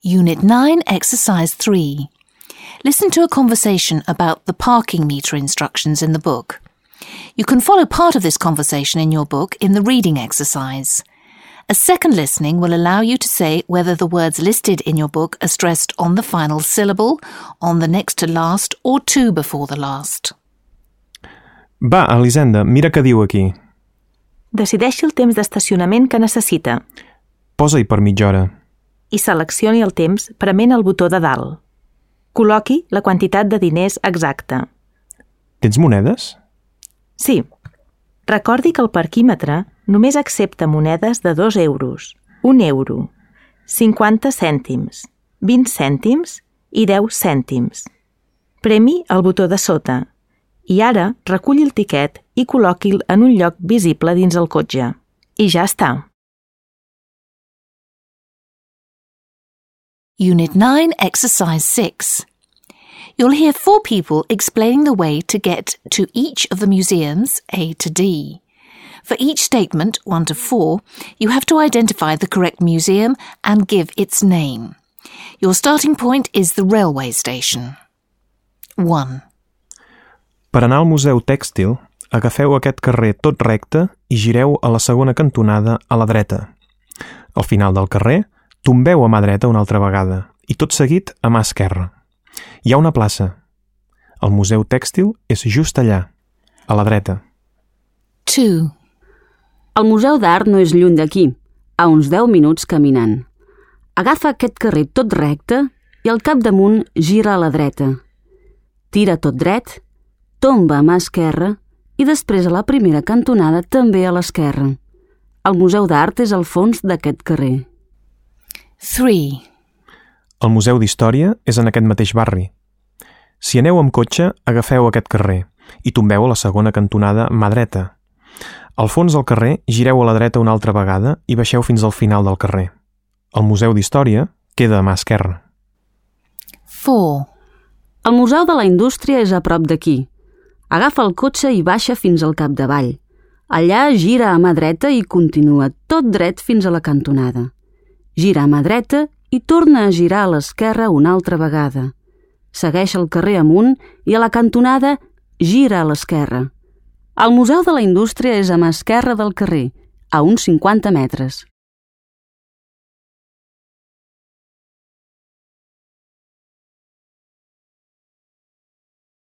Unit 9, Exercise 3. Listen to a conversation about the parking meter instructions in the book. You can follow part of this conversation in your book in the reading exercise. A second listening will allow you to say whether the words listed in your book are stressed on the final syllable, on the next to last, or to before the last. Va, Elisenda, mira què diu aquí. Decideixi el temps d'estacionament que necessita Posa-hi per mitja hora. i seleccioni el temps prement el botó de dalt. Col·loqui la quantitat de diners exacta. Tens monedes? Sí. Recordi que el parquímetre només accepta monedes de 2 euros, 1 euro, 50 cèntims, 20 cèntims i 10 cèntims. Premi el botó de sota i ara reculli el tiquet i col·loqui'l en un lloc visible dins el cotxe. I ja està. Unit 9, Exercise 6. You'll hear 4 people explaining the way to get to each of the museums, A to D. For each statement, 1 to 4, you have to identify the correct museum and give its name. Your starting point is the railway station. 1. Per anar al Museu Tèxtil, agafeu aquest carrer tot recte i gireu a la segona cantonada a la dreta. Al final del carrer, tombeu a mà dreta una altra vegada i tot seguit a mà esquerra. Hi ha una plaça. El Museu Tèxtil és just allà, a la dreta. 2. El Museu d'Art no és lluny d'aquí, a uns 10 minuts caminant. Agafa aquest carrer tot recte i al capdamunt gira a la dreta. Tira tot dret, tomba a mà esquerra i després a la primera cantonada també a l'esquerra. El Museu d'Art és al fons d'aquest carrer. 3. El Museu d'Història és en aquest mateix barri. Si aneu amb cotxe, agafeu aquest carrer i tombeu a la segona cantonada mà dreta. Al fons del carrer, gireu a la dreta una altra vegada i baixeu fins al final del carrer. El Museu d'Història queda a mà esquerra. 4. El Museu de la Indústria és a prop d'aquí. Agafa el cotxe i baixa fins al capdavall. Allà gira a mà dreta i continua tot dret fins a la cantonada. Gira a mà dreta i torna a girar a l'esquerra una altra vegada. Segueix el carrer amunt i a la cantonada gira a l'esquerra. El Museu de la Indústria és a mà esquerra del carrer, a uns 50 metres.